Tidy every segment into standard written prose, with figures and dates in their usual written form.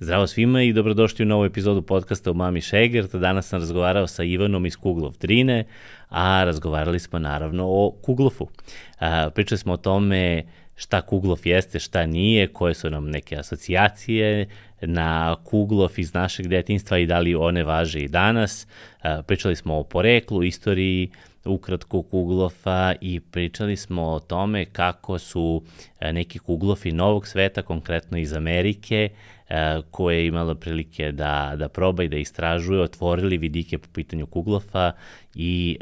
Zdravo svima i dobrodošli u novu epizodu podcasta u Mami Šegert. Danas sam razgovarao sa Ivanom iz Kuglov Drine, a razgovarali smo naravno o Kuglofu. Pričali smo o tome šta Kuglof jeste, šta nije, koje su nam neke asocijacije na Kuglof iz našeg detinjstva i da li one važe i danas. Pričali smo o poreklu, istoriji, ukratko Kuglofa i pričali smo o tome kako su neki Kuglofi novog sveta, konkretno iz Amerike, koje je imala prilike da proba i da istražuje, otvorili vidike po pitanju Kuglofa i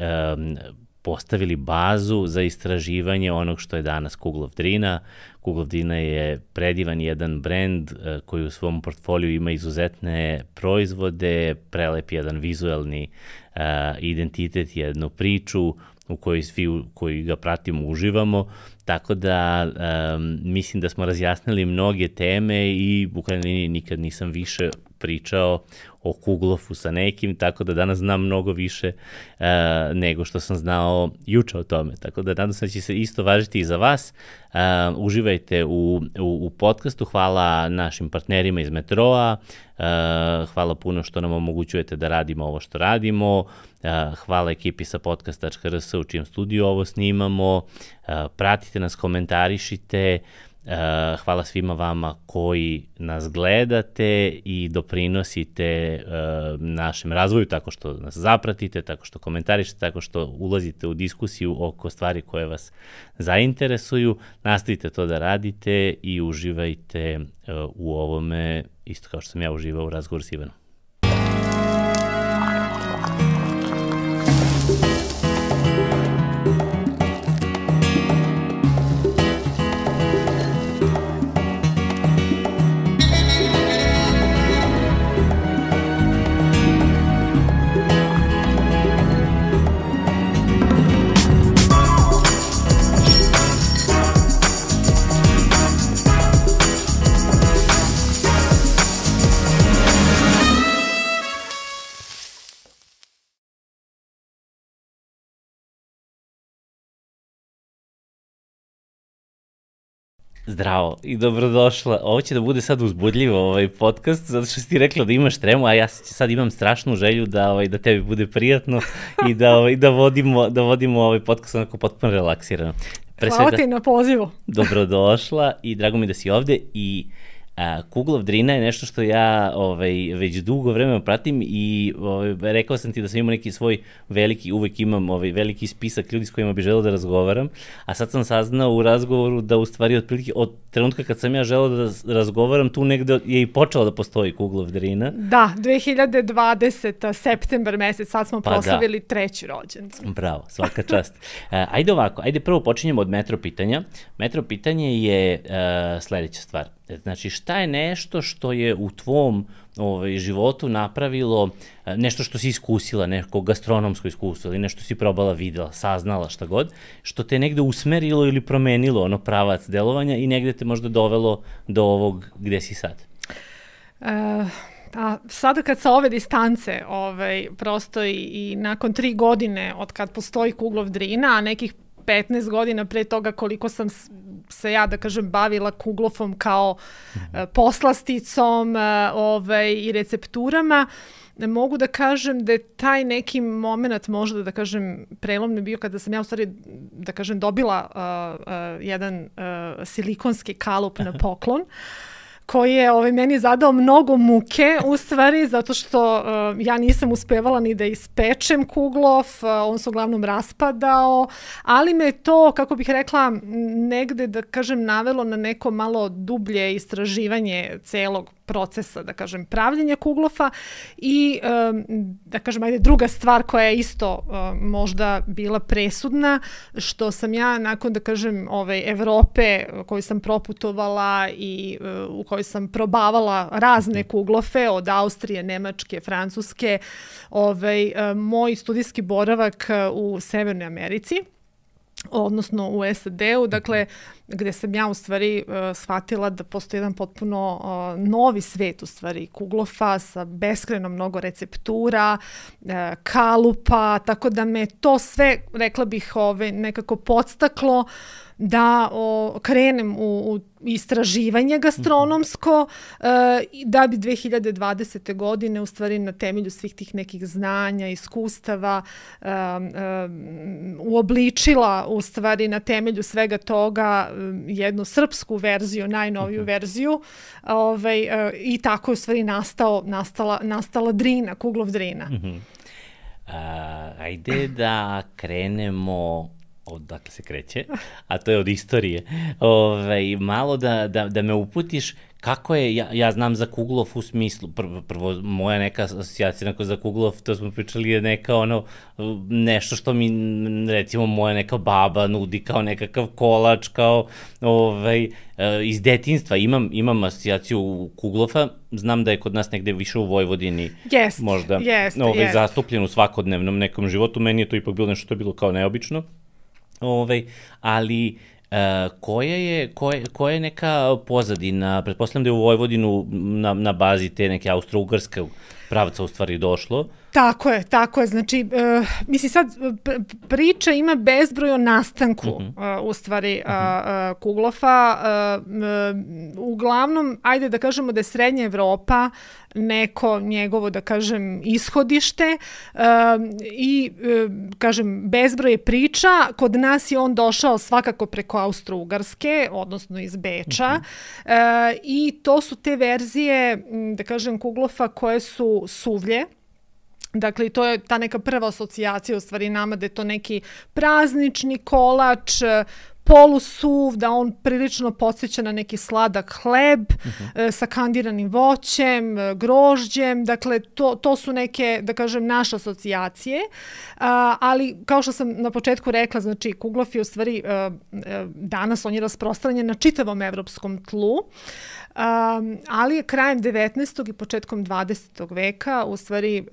postavili bazu za istraživanje onog što je danas Kuglov Drina. Kuglov Drina je predivan jedan brend koji u svom portfoliju ima izuzetne proizvode, prelep jedan vizuelni identitet, jednu priču u kojoj svi koji ga pratimo uživamo, tako da mislim da smo razjasnili mnoge teme i u krajnjoj liniji nikad nisam više pričao o Kuglofu sa nekim, tako da danas znam mnogo više nego što sam znao juče o tome. Tako da nadam se da će se isto važiti i za vas. Uživajte u podcastu. Hvala našim partnerima iz Metroa. Hvala puno što nam omogućujete da radimo ovo što radimo. Hvala ekipi sa podcast.rs u čijem studiju ovo snimamo. Pratite nas, komentarišite. Hvala svima vama koji nas gledate i doprinosite našem razvoju tako što nas zapratite, tako što komentarišete, tako što ulazite u diskusiju oko stvari koje vas zainteresuju. Nastavite to da radite i uživajte u ovome, isto kao što sam ja uživao u razgovoru s Ivanom. Zdravo i dobrodošla. Ovo će da bude sad uzbudljivo ovaj podcast, zato što si ti rekla da imaš tremu, a ja sad imam strašnu želju da tebi bude prijatno i da vodimo ovaj podcast onako potpuno relaksirano. Hvala ti na pozivu. Dobrodošla i drago mi da si ovde i Kuglov Drina je nešto što ja već dugo vremena pratim i rekao sam ti da sam imao neki svoj uvek imam veliki spisak ljudi s kojima bi želeo da razgovaram, a sad sam saznao u razgovoru da u stvari otprilike od trenutka kad sam ja želeo da razgovaram, tu negde je i počelo da postoji Kuglov Drina. Da, 2020. septembar mesec, sad smo proslavili treći rođendan. Bravo, svaka čast. Ajde prvo počinjemo od metro pitanja. Metro pitanje je sledeća stvar. Znači, šta je nešto što je u tvom životu napravilo, nešto što si iskusila, neko gastronomsko iskustvo ili nešto si probala, videla, saznala, šta god, što te negde usmerilo ili promenilo pravac delovanja i negde te možda dovelo do ovog gde si sad? Sada kad sa ove distance, prosto i nakon 3 godine od kad postoji Kuglov Drina, a nekih 15 godina pre toga koliko sam se ja, da kažem, bavila Kuglofom kao poslasticom i recepturama, mogu da kažem da je taj neki moment možda, da kažem, prelomni bio kada sam ja u stvari, da kažem, dobila jedan silikonski kalup na poklon, koji je meni zadao mnogo muke, u stvari, zato što ja nisam uspevala ni da ispečem Kuglof, on se uglavnom raspadao, ali me to, kako bih rekla, negde, da kažem, navelo na neko malo dublje istraživanje celog procesa, da kažem, pravljenja Kuglofa i, da kažem, druga stvar koja je isto možda bila presudna, što sam ja nakon, da kažem, Evrope koju sam proputovala i u kojoj sam probavala razne Kuglofe od Austrije, Nemačke, Francuske, moj studijski boravak u Severnoj Americi, odnosno u SAD-u, dakle, gde sam ja u stvari shvatila da postoji jedan potpuno novi svet u stvari Kuglofa sa beskrajno mnogo receptura, kalupa, tako da me to sve, rekla bih, nekako podstaklo da krenem u istraživanje gastronomsko, da bi 2020. godine u stvari na temelju svih tih nekih znanja, iskustava uobličila u stvari na temelju svega toga jednu srpsku verziju, najnoviju verziju, i tako je u stvari nastala Drina, Kuglov Drina. Ajde da krenemo odakle se kreće, a to je od istorije. Malo da me uputiš kako je, ja znam za Kuglov u smislu, prvo moja neka asocijacija za Kuglov, to smo pričali, je neka nešto što mi, recimo, moja neka baba nudi kao nekakav kolač, kao iz detinjstva. Imam asocijaciju Kuglova, znam da je kod nas negde više u Vojvodini možda zastupljen u svakodnevnom nekom životu, meni je to ipak bilo nešto što je bilo kao neobično. Ali koja je neka pozadina, pretpostavljam da je u Vojvodinu na bazi te neke austro-ugarske pravca u stvari došlo? Tako je, znači, mislim sad priča ima bezbroj o nastanku u stvari Kuglofa, uglavnom, ajde da kažemo da je Srednja Evropa neko njegovo, da kažem, ishodište i, kažem, bezbroj je priča, kod nas je on došao svakako preko Austro-Ugarske, odnosno iz Beča, i to su te verzije, da kažem, Kuglofa koje su suvlje. Dakle, to je ta neka prva asocijacija u stvari nama da je to neki praznični kolač, polusuv, da on prilično podsjeća na neki sladak hleb sa kandiranim voćem, grožđem, dakle to su neke, da kažem, naše asocijacije, ali kao što sam na početku rekla, znači Kuglov je u stvari danas on je rasprostranjen na čitavom evropskom tlu, ali je krajem 19. i početkom 20. veka u stvari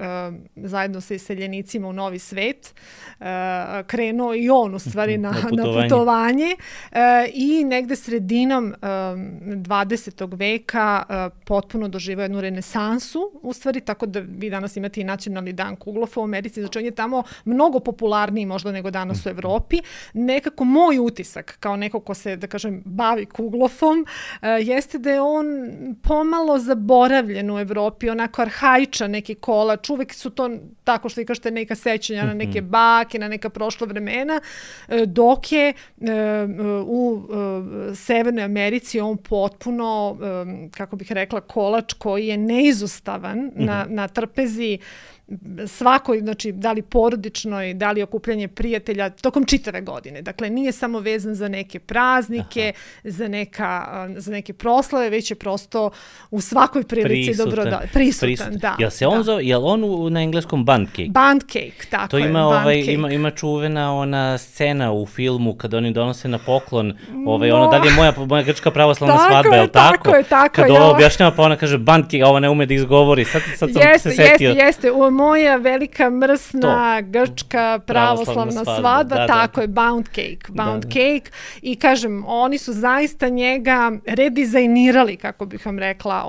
zajedno sa iseljenicima u Novi svet krenuo i on u stvari na putovanje i negde sredinom 20. veka potpuno doživao jednu renesansu u stvari, tako da vi danas imate i nacionalni dan Kuglova u Americi, znači on je tamo mnogo popularniji možda nego danas u Evropi. Nekako moj utisak kao neko ko se, da kažem, bavi Kuglovom jeste da je on pomalo zaboravljen u Evropi, onako arhaičan neki kolač, uvek su to tako što vi kažete neka sećanja na neke bake, na neka prošla vremena, dok je u Severnoj Americi on potpuno, kako bih rekla, kolač koji je neizostavan na trpezi svakoj, znači, da li porodičnoj, da li okupljanje prijatelja, tokom čitave godine. Dakle, nije samo vezan za neke praznike, za neke proslave, već je prosto u svakoj prilici prisutan. Da, jel se on zove, jel on na engleskom bund cake? Bund cake, tako je. To ima čuvena ona scena u filmu kada oni donose na poklon, da li je moja grčka pravoslavna svadba, je li tako? Tako. Kad ova objašnjava, pa ona kaže bund cake, a ova ne ume da izgovori. Sad sam se setio. Jeste, moja velika mrsna grčka pravoslavna svadba, tako je, Bound Cake. I kažem, oni su zaista njega redizajnirali, kako bih vam rekla,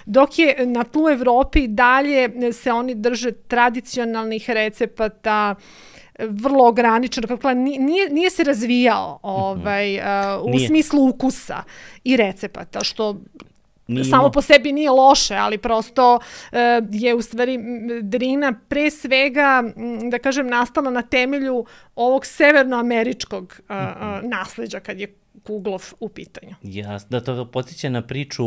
dok je na tlu Evropi dalje se oni drže tradicionalnih recepata, vrlo ograničeno, nije se razvijao u smislu ukusa i recepata, što samo po sebi nije loše, ali prosto je u stvari Drina pre svega, da kažem, nastala na temelju ovog severnoameričkog nasleđa kad je Kuglov u pitanju. Jasno, da to podsjeća na priču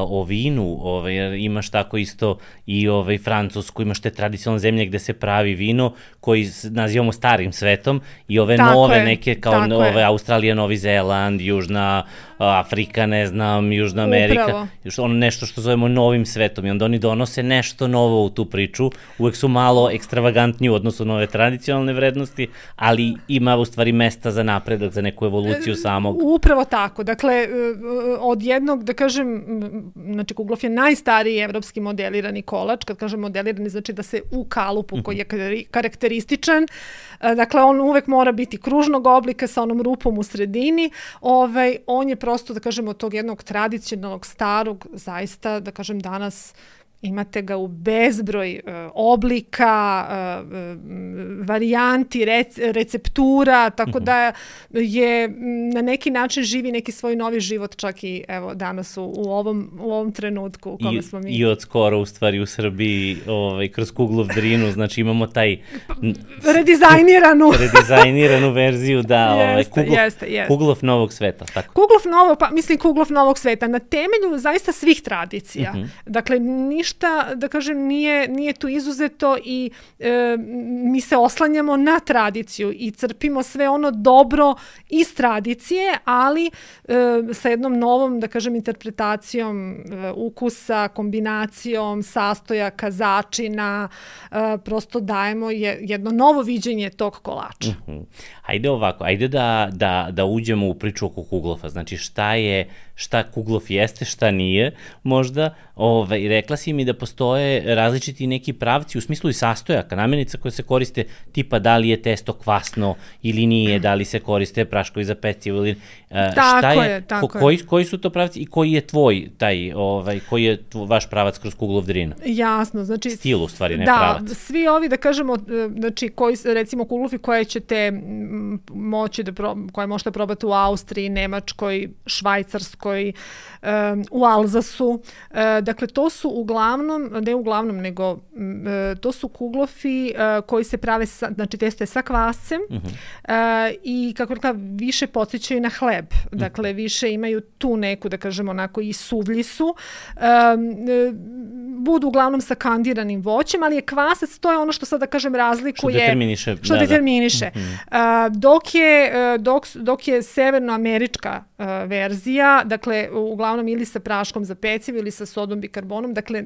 o vinu, jer imaš tako isto i Francusku, imaš te tradicionalne zemlje gde se pravi vino koji nazivamo starim svetom i ove nove neke kao Australija, Novi Zeland, Južna Afrika, ne znam, Južna Amerika, nešto što zovemo novim svetom i onda oni donose nešto novo u tu priču, uvek su malo ekstravagantniji u odnosu na ove tradicionalne vrednosti, ali ima u stvari mesta za napredak, za neku evoluciju samog. Upravo tako, dakle, od jednog, da kažem, znači Kuglov je najstariji evropski modelirani kolač, kad kažem modelirani znači da se u kalupu koji je karakterističan, dakle on uvek mora biti kružnog oblika sa onom rupom u sredini, on je prosto, da kažem, od tog jednog tradicionalnog starog, zaista, da kažem, danas imate ga u bezbroj oblika, varijanti, receptura, tako da je na neki način živi neki svoj novi život, čak i evo danas u ovom trenutku u kome smo mi. I od skoro u stvari u Srbiji kroz Kuglov Drinu, znači imamo taj redizajniranu verziju, da, Kuglov novog sveta. Tako. Kuglov novog sveta, na temelju zaista svih tradicija. Dakle, ništa, da kažem, nije tu izuzeto i mi se oslanjamo na tradiciju i crpimo sve ono dobro iz tradicije, ali sa jednom novom, da kažem, interpretacijom ukusa, kombinacijom sastojaka, začina, prosto dajemo jedno novo viđenje tog kolača. Ajde ovako, ajde da uđemo u priču oko Kuglofa, znači šta Kuglof jeste, šta nije, možda, rekla si mi da postoje različiti neki pravci u smislu i sastojaka, namirnica koje se koriste, tipa da li je testo kvasno ili nije, da li se koriste praškovi za pecivo ili tako je. Koji su to pravci i koji je tvoj koji je vaš pravac kroz Kuglov Drin? Jasno, znači stil u stvari, ne pravac. Da, svi ovi, da kažemo, znači koji, recimo Kuglofi koje ćete moći koje možete probati u Austriji, Nemačkoj, Švajcarskoj, u Alzasu. Dakle, to su nego to su Kuglofi koji se prave, znači testo je sa kvascem i kako rekla, više podsjećaju na hleb. Dakle, više imaju tu neku, da kažemo, onako i suvlji su. Budu uglavnom sa kandiranim voćem, ali je kvasac, to je ono što sad, da kažem, razlikuje. Što determiniše. Dok je severnoamerička verzija, dakle, uglavnom ili sa praškom za pecivo ili sa sodom bikarbonom, dakle,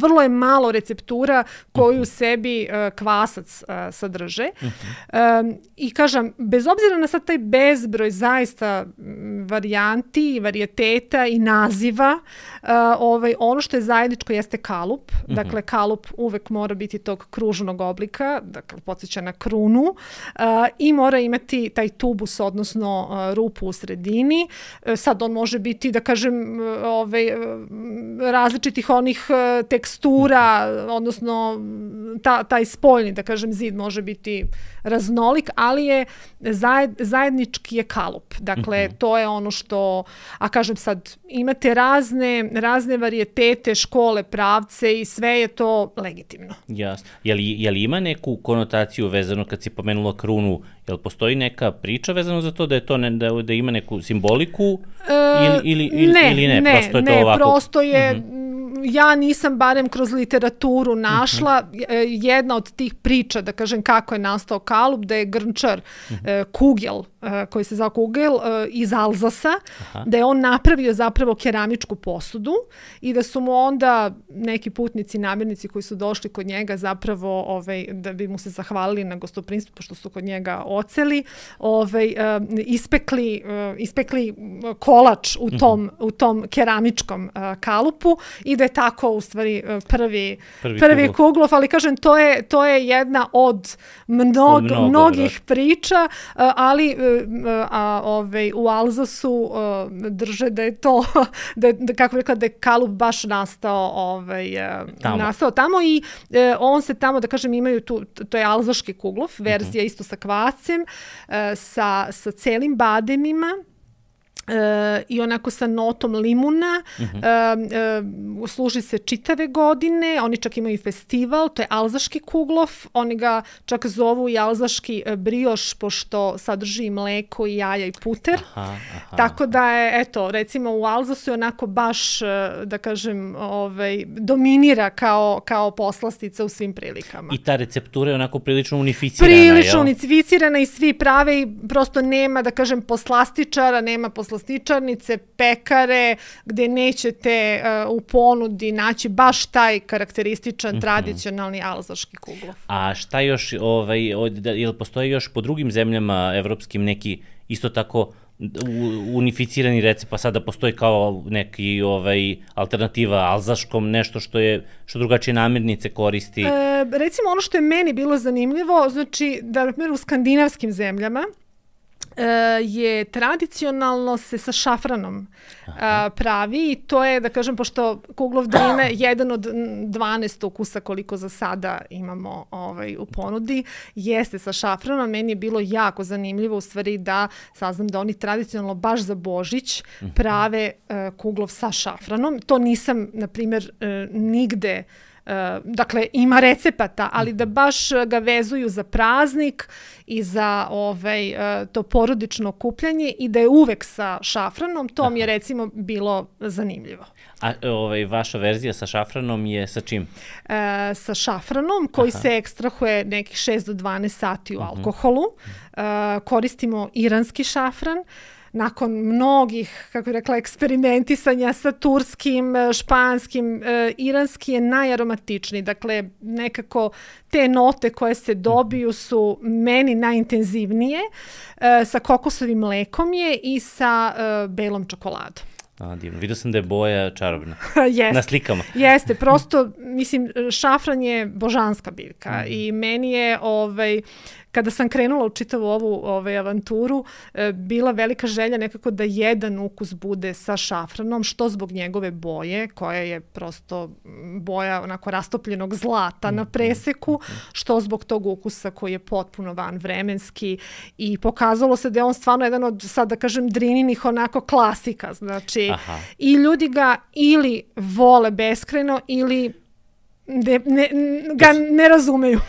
vrlo je malo receptura koju u sebi kvasac sadrže. I kažem, bez obzira na sad taj bezbroj zaista varijanti, varijeteta i naziva, ono što je zajedničko jeste kalup. Dakle, kalup uvek mora biti tog kružnog oblika, dakle, podsjeća na krunu, i mora imati taj tubus, odnosno rupu u sredini. Sad on može biti, da kažem, različitih onih tekstura, odnosno taj spoljni, da kažem, zid može biti raznolik, ali je zajednički je kalup. Dakle, to je ono što, a kažem sad, imate razne varijetete, škole, pravce i sve je to legitimno. Jasno. Je li ima neku konotaciju vezano kad si pomenula krunu? Je li postoji neka priča vezano za to da je to da ima neku simboliku ili ne? Prosto je to ovako? Prosto je, ja nisam barem kroz literaturu našla jedna od tih priča, da kažem, kako je nastao kalup, da je grnčar Kugel, koji se zove Kugel, iz Alzasa, da je on napravio zapravo keramičku posudu i da su mu onda neki putnici, namirnici koji su došli kod njega zapravo da bi mu se zahvalili na gostoprimstvu, pošto su kod njega oceli, ispekli kolač u tom keramičkom kalupu i da je tako u stvari prvi Kuglov, ali kažem, to je jedna od mnogih priča, ali u Alzasu drže da je to, kako rekla, da je kalup baš nastao tamo i on se tamo, da kažem, imaju to je alzaški Kuglov, verzija isto sa kvascem, sa celim bademima, i onako sa notom limuna, služi se čitave godine, oni čak imaju festival, to je alzaški Kuglov, oni ga čak zovu i alzaški brioš, pošto sadrži mleko i jaja i puter, tako da je, eto, recimo u Alzasu je onako baš, da kažem, dominira kao poslastica u svim prilikama. I ta receptura je onako prilično unificirana, unificirana i svi prave i prosto nema, da kažem, poslastičara, nema poslastičarnice, pekare, gde nećete u ponudi naći baš taj karakterističan, tradicionalni alzaški Kuglov. A šta još, jel postoji još po drugim zemljama evropskim neki isto tako unificirani recept, pa sada postoji kao neki alternativa alzaškom, nešto što drugačije namirnice koristi? Recimo, ono što je meni bilo zanimljivo, znači da, na primjer, u skandinavskim zemljama je tradicionalno se sa šafranom pravi i to je, da kažem, pošto kuglov drine jedan od 12 ukusa koliko za sada imamo u ponudi, jeste sa šafranom. Meni je bilo jako zanimljivo u stvari da saznam da oni tradicionalno baš za Božić prave kuglov sa šafranom. To nisam, na primjer, nigde. Dakle, ima recepata, ali da baš ga vezuju za praznik i za to porodično okupljanje i da je uvek sa šafranom, to mi je recimo bilo zanimljivo. A vaša verzija sa šafranom je sa čim? Sa šafranom koji se ekstrahuje nekih 6 do 12 sati u alkoholu. Koristimo iranski šafran. Nakon mnogih, kako bih rekla, eksperimentisanja sa turskim, španskim, iranski je najaromatičniji. Dakle, nekako te note koje se dobiju su meni najintenzivnije. Sa kokosovim mlekom je i sa belom čokoladom. Divno. Vidio sam da je boja čarobna. Na slikama. Jeste, prosto, mislim, šafran je božanska biljka i meni je, kada sam krenula u čitavu ovu avanturu, bila velika želja nekako da jedan ukus bude sa šafranom, što zbog njegove boje, koja je prosto boja onako rastopljenog zlata na preseku, što zbog tog ukusa koji je potpuno vanvremenski i pokazalo se da je on stvarno jedan od, sad da kažem, drininih onako klasika. Znači, i ljudi ga ili vole beskrajno ili ga ne razumeju.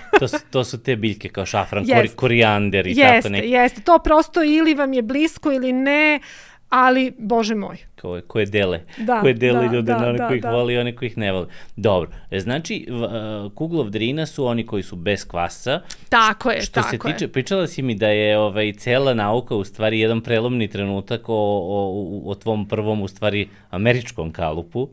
To su te biljke kao šafran, korijander i tako neki. Jeste, to prosto ili vam je blisko ili ne, ali, Bože moj. Koje dele ljude na one koji ih voli i one koji ih ne voli. Dobro, znači, kuglov drina su oni koji su bez kvasca. Tako je, Što se tiče, pričala si mi da je cela nauka u stvari jedan prelomni trenutak o tvom prvom, u stvari, američkom kalupu.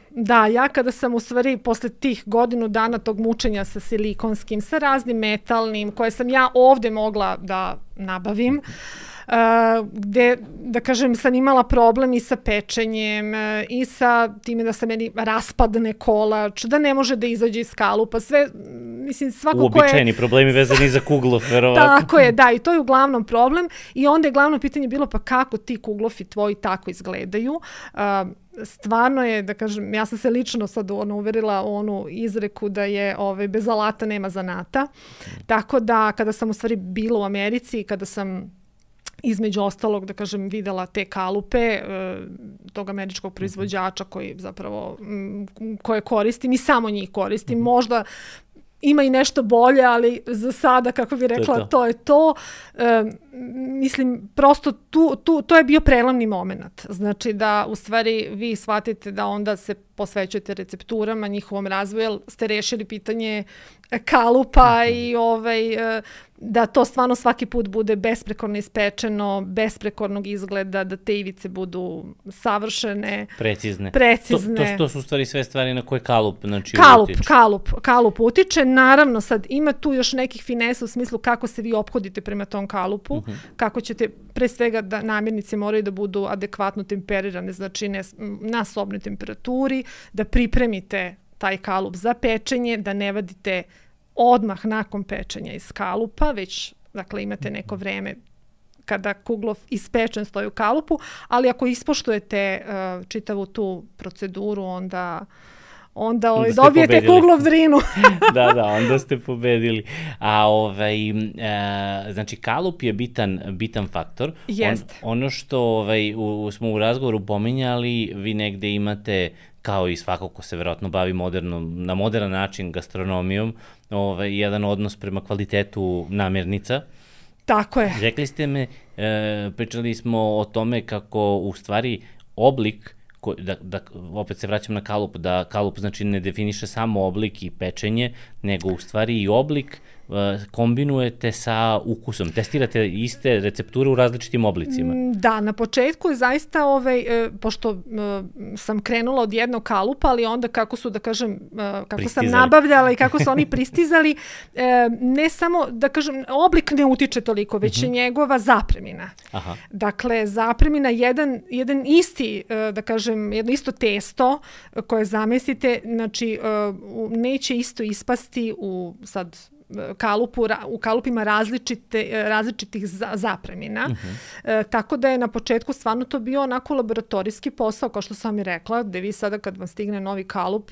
Da, ja kada sam u stvari posle tih godinu dana tog mučenja sa silikonskim, sa raznim metalnim, koje sam ja ovde mogla da nabavim, gde, da kažem, sam imala problem i sa pečenjem i sa time da se meni raspadne kolač, da ne može da izađe iz kalupa, sve, mislim, svako ko je... Uobičajeni problemi vezani za kuglov, verovatno. Tako je, da, i to je uglavnom problem i onda je glavno pitanje bilo pa kako ti kuglofi tvoji tako izgledaju. Stvarno je, da kažem, ja sam se lično sad uverila u onu izreku da je bez alata nema zanata. Tako da kada sam u stvari bila u Americi, kada sam između ostalog, da kažem, videla te kalupe tog američkog proizvođača koji zapravo, koje koristim i samo njih koristim. Možda ima i nešto bolje, ali za sada, kako bih rekla, to je to. Mislim, prosto to je bio prelomni moment. Znači da, u stvari, vi shvatite da onda se posvećujete recepturama, njihovom razvoju, jer ste rešili pitanje kalupa i da to stvarno svaki put bude besprekorno ispečeno, besprekornog izgleda, da te ivice budu savršene. Precizne. To su u stvari sve stvari na koje kalup utiče. Kalup utiče. Naravno, sad ima tu još nekih finesa u smislu kako se vi ophodite prema tom kalupu, kako ćete, pre svega, da namirnice moraju da budu adekvatno temperirane, znači na sobnoj temperaturi, da pripremite taj kalup za pečenje, da ne vadite odmah nakon pečenja iz kalupa, već, dakle, imate neko vreme kada kuglov ispečen stoji u kalupu, ali ako ispoštujete čitavu tu proceduru, onda dobijete kuglov drinu. Da, onda ste pobedili. A znači, kalup je bitan faktor. Jeste. Ono što smo u razgovoru pominjali, vi negde imate, kao i svako ko se verovatno bavi na modern način gastronomijom, jedan odnos prema kvalitetu namirnica. Tako je. Rekli ste me, pričali smo o tome kako u stvari oblik, opet se vraćam na kalup, da kalup znači ne definiše samo oblik i pečenje, nego u stvari i oblik kombinujete sa ukusom. Testirate iste recepture u različitim oblicima. Da, na početku je zaista, pošto sam krenula od jednog kalupa, ali onda kako su, da kažem, kako sam nabavljala i kako su oni pristizali, ne samo, da kažem, oblik ne utiče toliko, već je njegova zapremina. Dakle, zapremina, jedan isti, da kažem, jedno isto testo koje zamesite, znači, neće isto ispasti u sad u kalupima različitih zapremina. Tako da je na početku stvarno to bio onako laboratorijski posao, kao što sam i rekla, gde vi sada kad vam stigne novi kalup,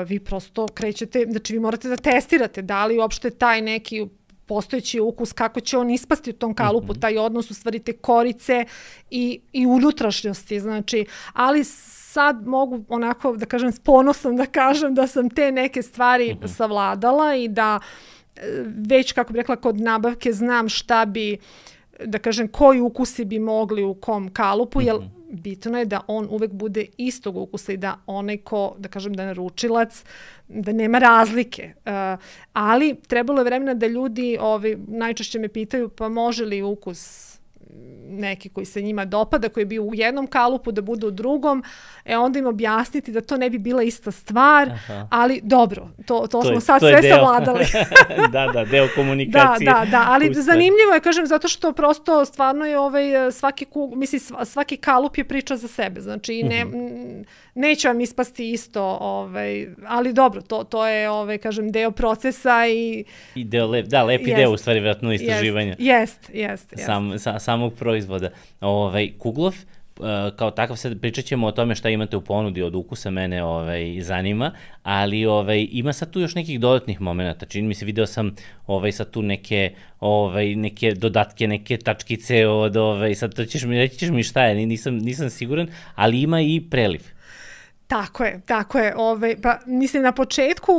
vi prosto krećete, znači vi morate da testirate da li uopšte taj neki postojeći ukus, kako će on ispasti u tom kalupu, taj odnos u stvari te korice i unutrašnjosti, znači, ali sad mogu onako da kažem s ponosom da kažem da sam te neke stvari savladala i da već, kako bih rekla, kod nabavke znam šta bi, da kažem, koji ukusi bi mogli u kom kalupu, jer bitno je da on uvek bude istog ukusa i da onaj ko, da kažem, da naručilac, da nema razlike. Ali trebalo je vremena da ljudi najčešće me pitaju pa može li ukus neki koji se njima dopada, koji je bio u jednom kalupu, da bude u drugom, onda im objasniti da to ne bi bila ista stvar, ali dobro, to smo sad sve savladali. Da, deo komunikacije. Da, ali zanimljivo je, kažem, zato što prosto stvarno je svaki kalup je priča za sebe, znači neće vam ispasti isto, ali dobro, to je, kažem, deo procesa i lepi deo, u stvari, vjerojatno istraživanja. Jest. Samog proizvoda. Kuglov, kao takav, sad pričat ćemo o tome šta imate u ponudi od ukusa, mene zanima, ali ima sad tu još nekih dodatnih momenta. Čini mi se, video sam sad tu neke dodatke, neke tačkice sad reći ćeš mi šta je, nisam siguran, ali ima i preliv. Tako je. Pa, mislim, na početku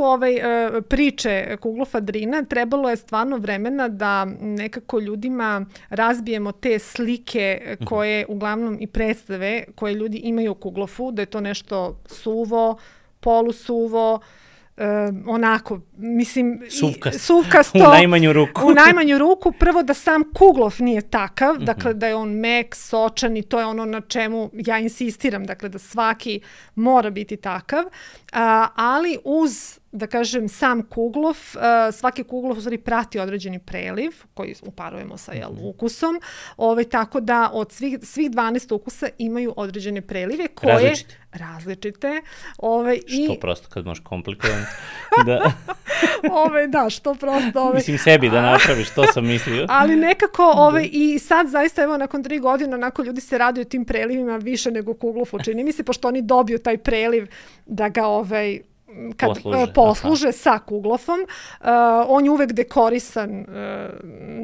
priče Kuglova Drina trebalo je stvarno vremena da nekako ljudima razbijemo te slike koje uglavnom i predstave koje ljudi imaju u Kuglofu, da je to nešto suvo, polusuvo, onako, mislim, suvkasto. U najmanju ruku. Prvo da sam Kuglov nije takav, dakle da je on mek, sočan i to je ono na čemu ja insistiram, dakle da svaki mora biti takav, ali uz, da kažem, sam Kuglov, svaki Kuglov u stvari prati određeni preliv koji uparujemo sa ukusom, tako da od svih 12 ukusa imaju određene prelive koje različite. Što prosto kad možeš komplikovano. Da, što prosto. Mislim sebi da napraviš, to sam mislio. Ali nekako, i sad zaista, evo, nakon 3 godine, onako ljudi se raduju tim prelivima više nego Kuglofu, čini mi se, pošto oni dobiju taj preliv da ga kad posluže sa Kuglofom. On je uvek dekorisan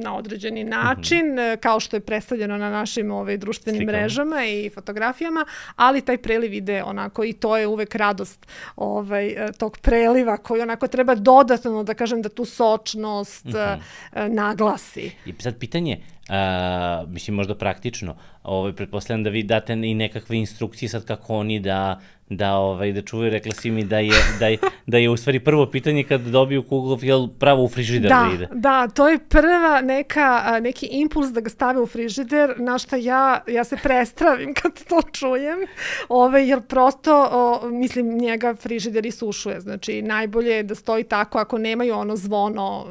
na određeni način, kao što je predstavljeno na našim društvenim mrežama i fotografijama, ali taj preliv ide onako i to je uvek radost tog preliva koji onako treba dodatno, da kažem, da tu sočnost naglasi. I sad pitanje, mislim možda praktično, pretpostavljam da vi date i nekakve instrukcije sad kako oni da čuvaju, rekla si mi da je u stvari prvo pitanje kad dobiju Kuglov, jel pravo u frižider da ide? Da, to je prva neki impuls da ga stave u frižider, na šta ja se prestravim kad to čujem, jer prosto, mislim, njega frižider isušuje, znači najbolje je da stoji tako, ako nemaju ono zvono,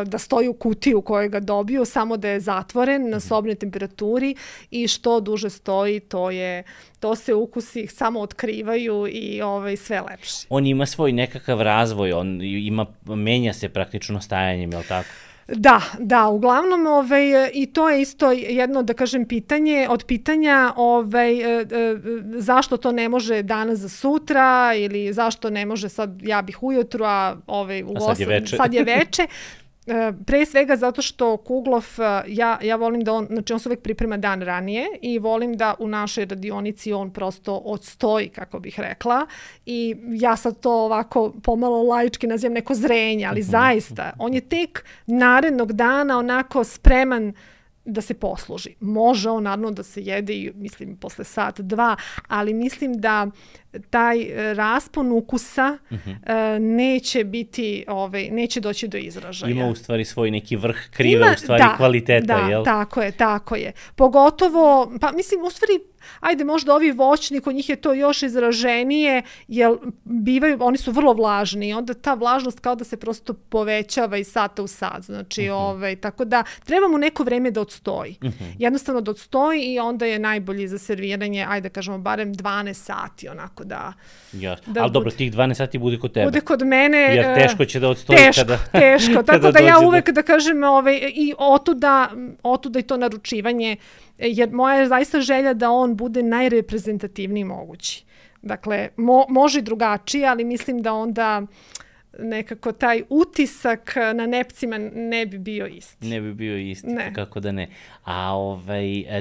da stoji u kutiju koju ga dobiju, samo da je zatvoren na sobnoj temperaturi i što duže stoji, to se ukusi samo otkrivaju i sve lepše. On ima svoj nekakav razvoj, menja se praktično stajanjem, je li tako? Da, uglavnom i to je isto jedno, da kažem, pitanje od pitanja zašto to ne može danas za sutra ili zašto ne može sad ja bih ujutru, a sad je veče. Pre svega zato što Kuglov, ja volim da on se uvek priprema dan ranije i volim da u našoj radionici on prosto odstoji, kako bih rekla, i ja sad to ovako pomalo laički nazivam neko zrenje, ali zaista, on je tek narednog dana onako spreman da se posluži. Može on naravno da se jede i mislim posle sat, 2, ali mislim da taj raspon ukusa neće doći do izražaja. Ima u stvari svoj neki vrh kriva, u stvari kvaliteta, jel? Tako je. Pogotovo, pa mislim, u stvari ajde možda ovi voćni, kod njih je to još izraženije, jer oni su vrlo vlažni i onda ta vlažnost kao da se prosto povećava iz sata u sat. Znači, tako da treba mu neko vreme da odstoji. Jednostavno da odstoji i onda je najbolji za serviranje, ajde kažemo, barem 12 sati, onako da... Ali dobro, tih 12 sati bude kod tebe. Bude kod mene... Jer teško će da odstoji Teško. Tako da ja uvek da kažem i otuda i to naručivanje, jer moja je zaista želja da on bude najreprezentativniji mogući. Dakle, može i drugačije, ali mislim da onda nekako taj utisak na nepcima ne bi bio isti. Ne bi bio isti, kako da ne. A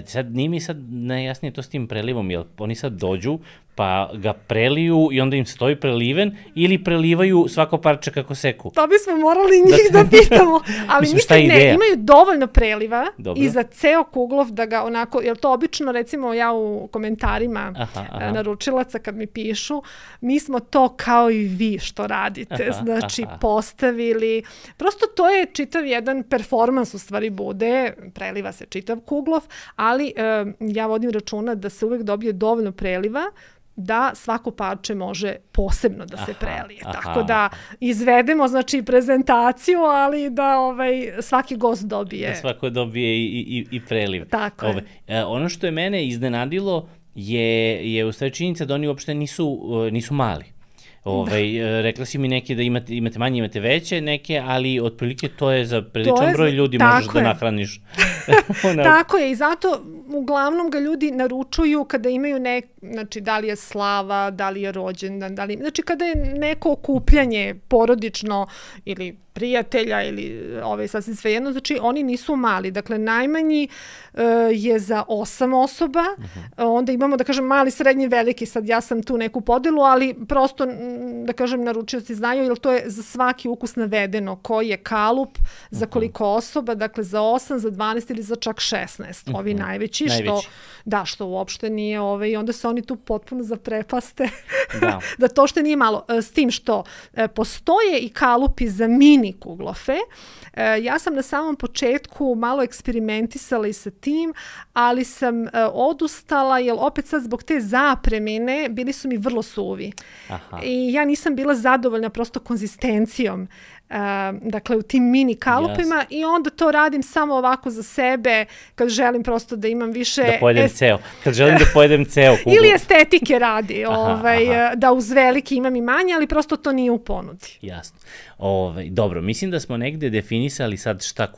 sad nije mi sad najjasnije to s tim prelivom, jer oni sad dođu, pa ga preliju i onda im stoji preliven ili prelivaju svako parče kako seku? To bismo morali njih da pitamo. Ali mislim imaju dovoljno preliva i za ceo kuglov da ga onako, jer to obično recimo ja u komentarima naručilaca kad mi pišu, mi smo to kao i vi što radite, znači postavili. Prosto to je čitav jedan performans u stvari bude, preliva se čitav kuglov, ali ja vodim računa da se uvek dobije dovoljno preliva da svako parče može posebno da se prelije. Tako da izvedemo znači prezentaciju, ali da svaki gost dobije. Da svako dobije i preliv. Tako je. Ono što je mene iznenadilo je u stvari činjenica da oni uopšte nisu mali. Rekla si mi neke da imate manje, imate veće neke, ali otprilike to je za priličan broj ljudi možeš da nahraniš. Tako je i zato uglavnom ga ljudi naručuju kada imaju znači da li je slava, da li je rođendan, znači kada je neko okupljanje porodično ili prijatelja ili sasvim svejedno, znači oni nisu mali. Dakle, najmanji je za 8 osoba, onda imamo, da kažem, mali, srednji, veliki, sad ja sam tu neku podelu, ali prosto, da kažem, naručioci znaju, jer to je za svaki ukus navedeno, koji je kalup, za koliko osoba, dakle, za 8, za 12 ili za čak 16. Ovi najveći, što uopšte nije, i onda se oni tu potpuno zaprepaste, da to što nije malo. S tim što postoje i kalupi za mini kuglofe. Ja sam na samom početku malo eksperimentisala i sa tim, ali sam odustala, jer opet sad zbog te zapremine bili su mi vrlo suvi. I ja nisam bila zadovoljna prosto konzistencijom. Dakle, u tim mini kalupima i onda to radim samo ovako za sebe kad želim prosto da imam više... Da pojedem ceo. Kad želim da pojedem ceo kuglu. Ili estetike radi, da uz veliki imam i manje, ali prosto to nije u ponudi. Jasno. Dobro, mislim da smo negde definisali sad šta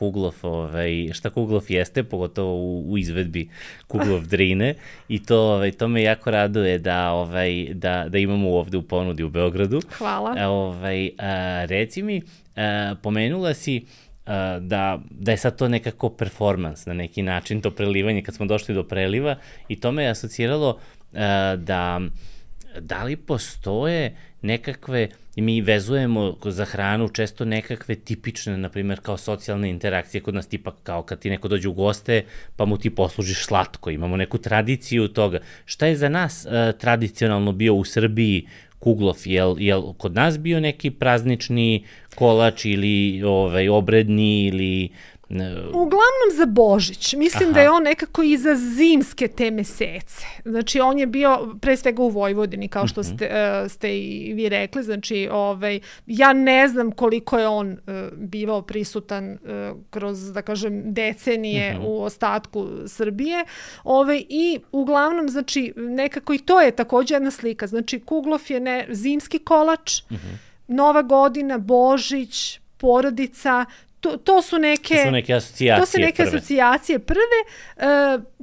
kuglov jeste, pogotovo u izvedbi Kuglov Drine i to me jako raduje da imamo ovde u ponudi u Beogradu. Hvala. Reci mi, pomenula si da je sad to nekako performans na neki način, to prelivanje, kad smo došli do preliva i to me je asociralo da li postoje nekakve, mi vezujemo za hranu često nekakve tipične, na primjer, kao socijalne interakcije kod nas, tipa kao kad ti neko dođe u goste, pa mu ti poslužiš slatko, imamo neku tradiciju toga. Šta je za nas tradicionalno bio u Srbiji kuglov? Jel kod nas bio neki praznični kolač ili obredni ili... Uglavnom za Božić. Mislim da je on nekako i za zimske te mesece. Znači, on je bio pre svega u Vojvodini, kao što ste i vi rekli. Znači, ja ne znam koliko je on bivao prisutan kroz, da kažem, decenije u ostatku Srbije. I uglavnom, znači, nekako i to je također jedna slika. Znači, kuglov je zimski kolač, Nova godina, Božić, porodica. To su neke asocijacije prve,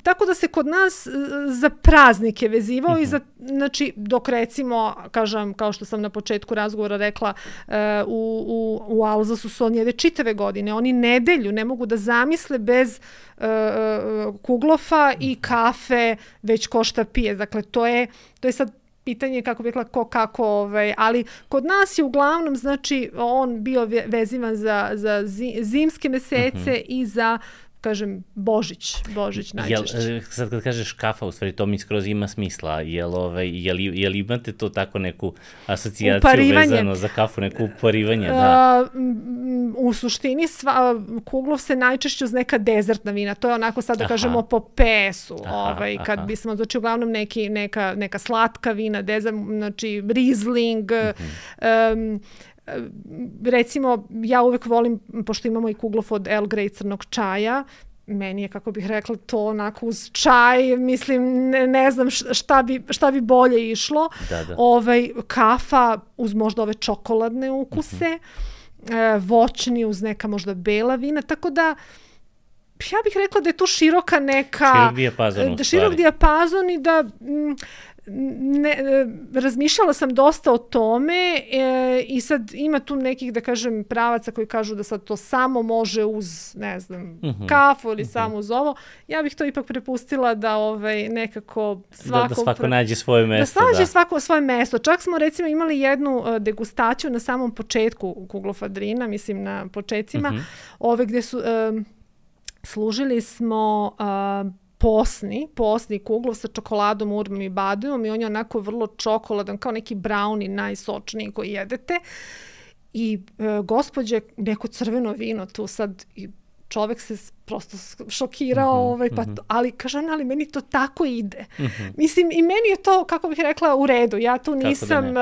tako da se kod nas za praznike vezivao i znači, dok recimo, kažem, kao što sam na početku razgovora rekla, u Alzasu su oni jede čitave godine, oni nedelju ne mogu da zamisle bez kuglofa i kafe, već ko šta pije. Dakle, to je sad pitanje, kako bih rekla, kako, ali kod nas je uglavnom, znači, on bio vezivan za zimske mesece i za kažem, Božić najčešće. Sad kad kažeš kafa, u stvari to mi skroz ima smisla. Jel imate to tako neku asocijaciju vezano za kafu, neku uparivanje? Da. U suštini Kuglov se najčešće uz neka dezertna vina. To je onako sad da kažemo po pesu. Kad bismo, znači uglavnom neka slatka vina, znači Riesling, recimo, ja uvek volim, pošto imamo i Kuglov od Earl Grey crnog čaja, meni je, kako bih rekla, to onako uz čaj, mislim, ne znam šta bi bolje išlo. Kafa uz možda ove čokoladne ukuse, voćni uz neka možda bela vina, tako da ja bih rekla da je tu široka neka... Širok dijapazon i da... razmišljala sam dosta o tome i sad ima tu nekih, da kažem, pravaca koji kažu da sad to samo može uz, ne znam, kafu ili samo uz ovo. Ja bih to ipak prepustila da nekako da svako nađe svoje mesto. Da nađe svako svoje mesto. Čak smo recimo imali jednu degustaciju na samom početku Kuglova Drina, mislim na početcima, gde su služili smo posni Kuglov sa čokoladom, urmom i bademom i on je onako vrlo čokoladan, kao neki brownie, najsočniji koji jedete. I gospođe, neko crveno vino tu sad, i čovek se prosto šokirao, ali kaže ona, ali meni to tako ide. Mislim, i meni je to, kako bih rekla, u redu. Ja tu nisam,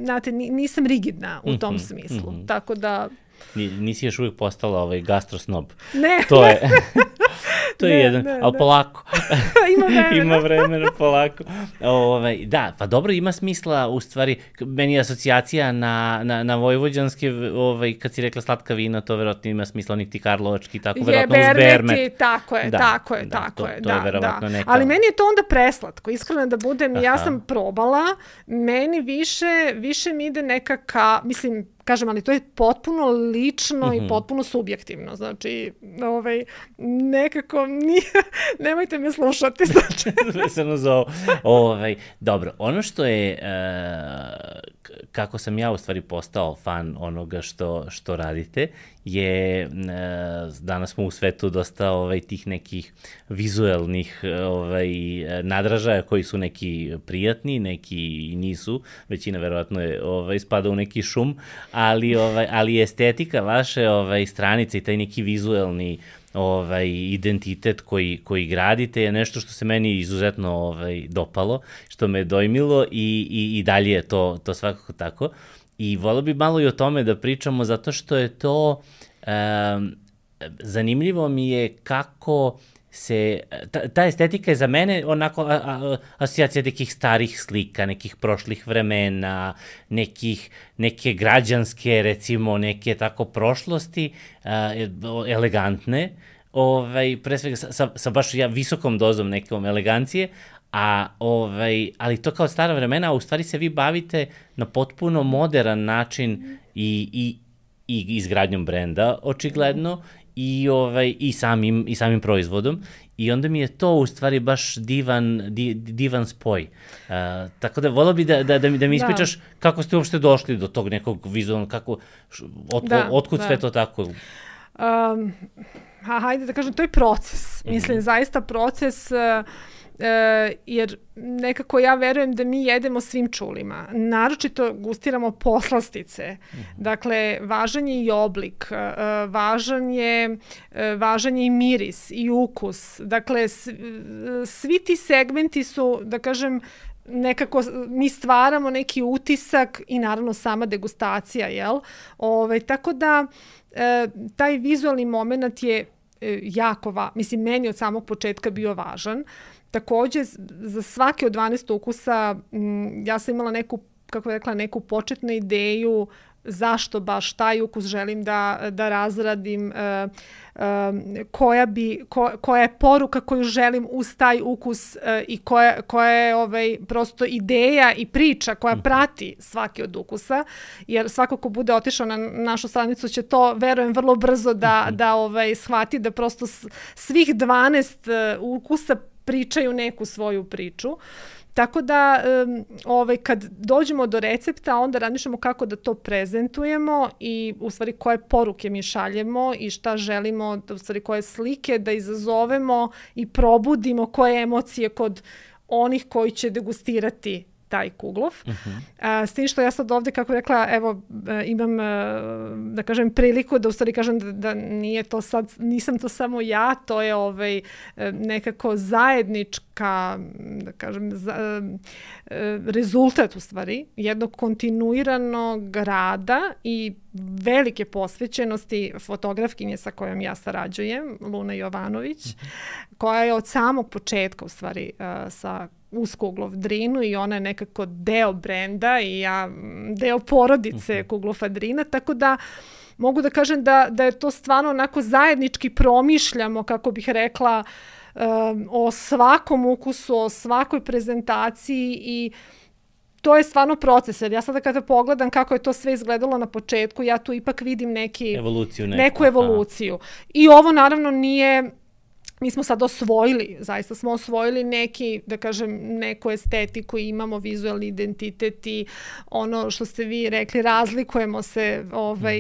znate, nisam rigidna u tom smislu. Tako da... Nisi još uvijek postala gastrosnob. Ne. To je jedan, ali polako. Ima vremena, polako. Da, pa dobro, ima smisla, u stvari, meni je asocijacija na vojvođanske, kad si rekla slatka vina, to verovatno ima smisla, onih ti karlovački, tako verovatno uz bermet. Tako je. To je verovatno neka... Ali meni je to onda preslatko, iskreno da budem, ja sam probala, meni više mi ide neka, mislim, kažem, ali to je potpuno lično i potpuno subjektivno. Znači, nekako nemojte me slušati. Vezano za ovo. Dobro, ono što je, kako sam ja u stvari postao fan onoga što radite, je, danas smo u svetu dosta tih nekih vizuelnih nadražaja koji su neki prijatni, neki i nisu, većina verovatno spada u neki šum, ali estetika vaše stranice i taj neki vizuelni identitet koji gradite je nešto što se meni izuzetno dopalo, što me dojmilo i dalje je to svakako tako. I volio bi malo i o tome da pričamo, zato što je to, zanimljivo mi je kako se, ta estetika je za mene onako asocijacija nekih starih slika, nekih prošlih vremena, neke građanske, recimo, neke tako prošlosti, elegantne, pre svega sa baš visokom dozom nekom elegancije, ali to kao stara vremena, a u stvari se vi bavite na potpuno modern način i izgradnjom brenda, očigledno, i samim proizvodom, i onda mi je to u stvari baš divan spoj. Tako da volio bi da mi ispričaš kako ste uopšte došli do tog nekog vizualnog, otkud sve to tako? Hajde da kažem, to je proces. Mislim, zaista proces, jer nekako ja verujem da mi jedemo svim čulima. Naročito gustiramo poslastice. Dakle, važan je i oblik, važan je i miris i ukus. Dakle, svi ti segmenti su, da kažem, nekako mi stvaramo neki utisak i naravno sama degustacija, jel? Tako da taj vizualni moment je jako mislim, meni od samog početka bio važan. Takođe, za svaki od 12 ukusa ja sam imala neku početnu ideju zašto baš taj ukus želim da razradim, koja je poruka koju želim uz taj ukus i koja je prosto ideja i priča koja prati svaki od ukusa, jer svako ko bude otišao na našu stranicu će to, verujem, vrlo brzo da shvati da prosto svih 12 ukusa pričaju neku svoju priču. Tako da kad dođemo do recepta, onda razmišljamo kako da to prezentujemo i u stvari koje poruke mi šaljemo i šta želimo, u stvari koje slike da izazovemo i probudimo koje emocije kod onih koji će degustirati taj kuglov. S tim što ja sad ovde, kako rekla, evo, imam, da kažem, priliku da u stvari kažem da nije to sad, nisam to samo ja, to je nekako zajednička, da kažem, rezultat u stvari jednog kontinuiranog rada i velike posvećenosti fotografkinje sa kojom ja sarađujem, Luna Jovanović, koja je od samog početka u stvari uz Kuglov Drinu i ona je nekako deo brenda i ja deo porodice Kuglov Drina, tako da mogu da kažem da je to stvarno onako zajednički promišljamo, kako bih rekla, o svakom ukusu, o svakoj prezentaciji i to je stvarno proces, jer ja sada kada pogledam kako je to sve izgledalo na početku, ja tu ipak vidim neku evoluciju. I ovo naravno nije... Mi smo sad zaista smo osvojili da kažem, neku estetiku, imamo vizualni identitet i ono što ste vi rekli, razlikujemo se,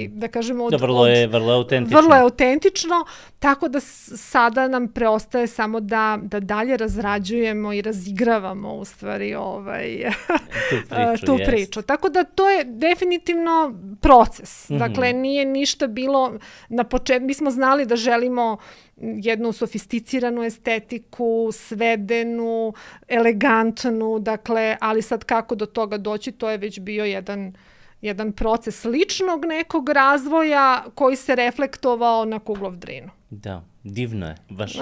da kažem, vrlo je autentično. Vrlo je autentično, tako da sada nam preostaje samo da dalje razrađujemo i razigravamo u stvari tu priču. Tako da to je definitivno proces. Dakle, nije ništa bilo na početku. Mi smo znali da želimo jednu sofisticiranu estetiku, svedenu, elegantnu, dakle, ali sad kako do toga doći, to je već bio jedan proces ličnog nekog razvoja koji se reflektovao na Kuglov Drinu. Da, divno je, baš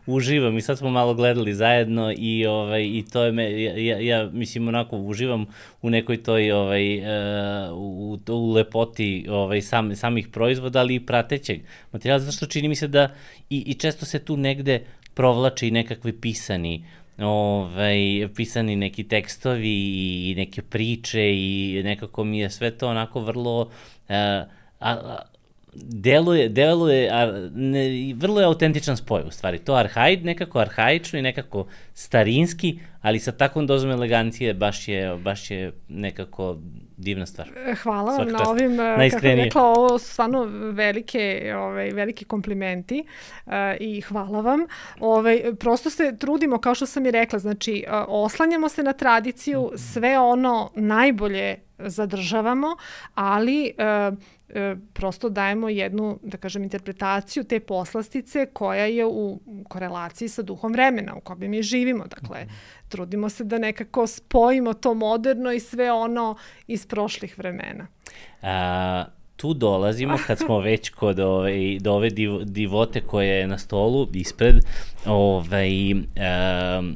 uživam i sad smo malo gledali zajedno i to je, ja mislim onako uživam u nekoj toj, u lepoti samih proizvoda, ali i pratećeg materijala, zato što čini mi se da i često se tu negde provlače i nekakvi pisani neki tekstovi i neke priče i nekako mi je sve to onako vrlo... deluje, vrlo je autentičan spoj u stvari. To nekako arhaično i nekako starinski, ali sa takvom dozom elegancije baš je nekako divna stvar. Hvala vam na ovim, kako bih rekla, ovo su stvarno veliki komplimenti i hvala vam. Prosto se trudimo, kao što sam i rekla, znači oslanjamo se na tradiciju, sve ono najbolje zadržavamo, ali prosto dajemo jednu, da kažem, interpretaciju te poslastice koja je u korelaciji sa duhom vremena u kojem mi živimo. Dakle, trudimo se da nekako spojimo to moderno i sve ono iz prošlih vremena. Tu dolazimo, kad smo već kod ove divote koja je na stolu ispred,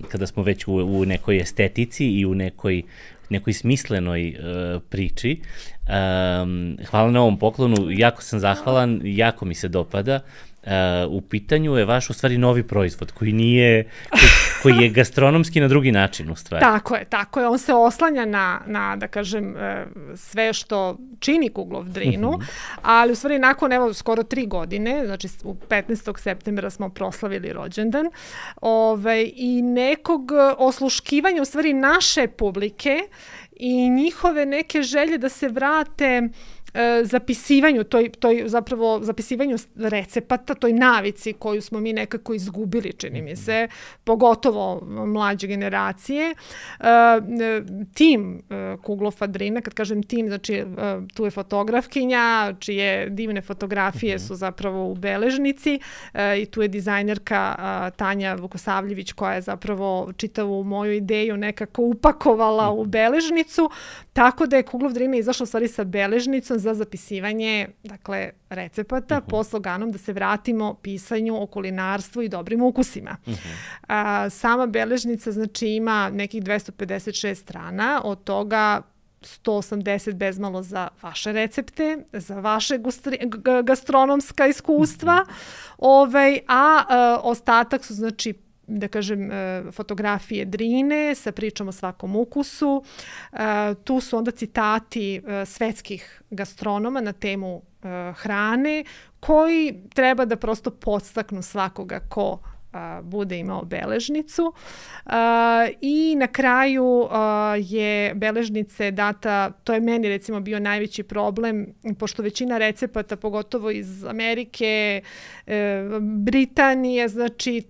kada smo već u nekoj estetici i u nekoj smislenoj priči. Hvala na ovom poklonu, jako sam zahvalan, jako mi se dopada. U pitanju je vaš u stvari novi proizvod koji je gastronomski na drugi način u stvari. Tako je, on se oslanja na da kažem, sve što čini Kuglov Drinu, ali u stvari nakon skoro 3 godine, znači u 15. septembra smo proslavili rođendan i nekog osluškivanja u stvari naše publike i njihove neke želje da se vrate zapisivanju, zapravo zapisivanju recepata, toj navici koju smo mi nekako izgubili, čini mi se, pogotovo mlađe generacije. Tim Kuglova Drina, kad kažem tim, znači tu je fotografkinja, čije divne fotografije su zapravo u beležnici i tu je dizajnerka Tanja Vukosavljević koja je zapravo čitavu moju ideju nekako upakovala u beležnicu, tako da je Kuglov Drina izašla u stvari sa beležnicom za zapisivanje, dakle, recepata po sloganom da se vratimo pisanju o kulinarstvu i dobrim ukusima. Sama beležnica, znači, ima nekih 256 strana, od toga 180 bezmalo za vaše recepte, za vaše gastronomska iskustva, a ostatak su, znači, da kažem, fotografije Drine sa pričom o svakom ukusu. Tu su onda citati svetskih gastronoma na temu hrane, koji treba da prosto podstaknu svakoga ko bude imao beležnicu. I na kraju je beležnice data, to je meni recimo bio najveći problem, pošto većina recepata, pogotovo iz Amerike, Britanije, znači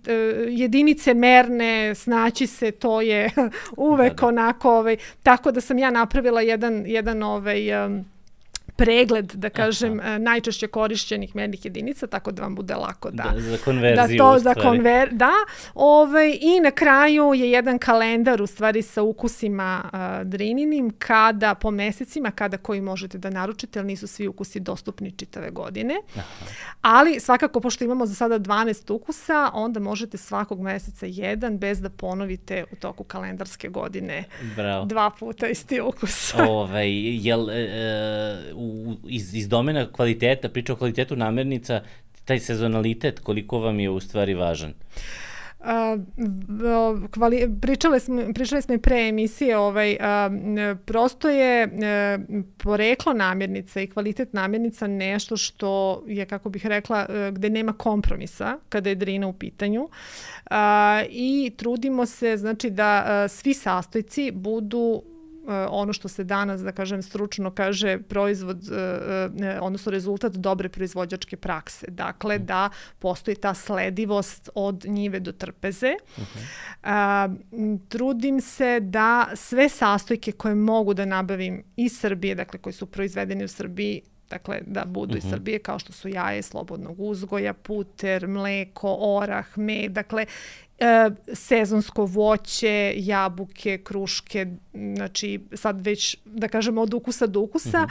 jedinice merne, snaći se, to je uvek onako, tako da sam ja napravila jedan pregled, da kažem, najčešće korišćenih mernih jedinica, tako da vam bude lako za konverziju. I na kraju je jedan kalendar u stvari sa ukusima drininim, kada po mesecima, kada koji možete da naručite, ali nisu svi ukusi dostupni čitave godine. Ali svakako, pošto imamo za sada 12 ukusa, onda možete svakog meseca jedan, bez da ponovite u toku kalendarske godine. Bravo. 2 puta isti ukus. Iz domena kvaliteta, priča o kvalitetu namirnica, taj sezonalitet, koliko vam je u stvari važan? Pričali smo i pre emisije, prosto je poreklo namirnica i kvalitet namirnica nešto što je, kako bih rekla, gde nema kompromisa kada je drina u pitanju, i trudimo se, znači, da svi sastojci budu ono što se danas, da kažem, stručno kaže proizvod, odnosno rezultat dobre proizvođačke prakse. Dakle, da postoji ta sledivost od njive do trpeze. Trudim se da sve sastojke koje mogu da nabavim iz Srbije, dakle, koji su proizvedeni u Srbiji, dakle, da budu iz Srbije, kao što su jaje slobodnog uzgoja, puter, mleko, orah, med, dakle, sezonsko voće, jabuke, kruške, znači sad već, da kažemo, od ukusa do ukusa.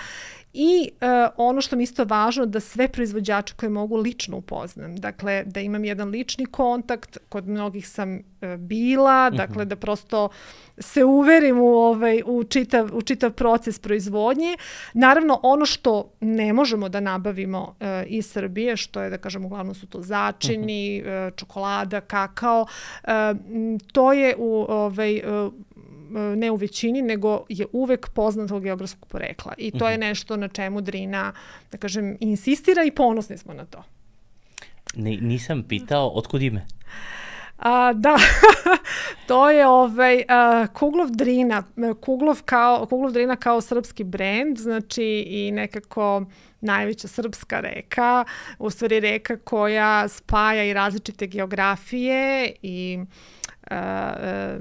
I ono što mi isto važno, da sve proizvođače koje mogu lično upoznam. Dakle, da imam jedan lični kontakt, kod mnogih sam bila, dakle, da prosto se uverim u čitav proces proizvodnje. Naravno, ono što ne možemo da nabavimo iz Srbije, što je, da kažem, uglavnom su to začini, čokolada, kakao, to je ne u većini, nego je uvek poznatog geografskog porekla. I to je nešto na čemu Drina, da kažem, insistira i ponosni smo na to. Nisam pitao, otkud ime? Da, to je Kuglov Drina. Kuglov Drina kao srpski brend, znači i nekako najveća srpska reka, u stvari reka koja spaja i različite geografije i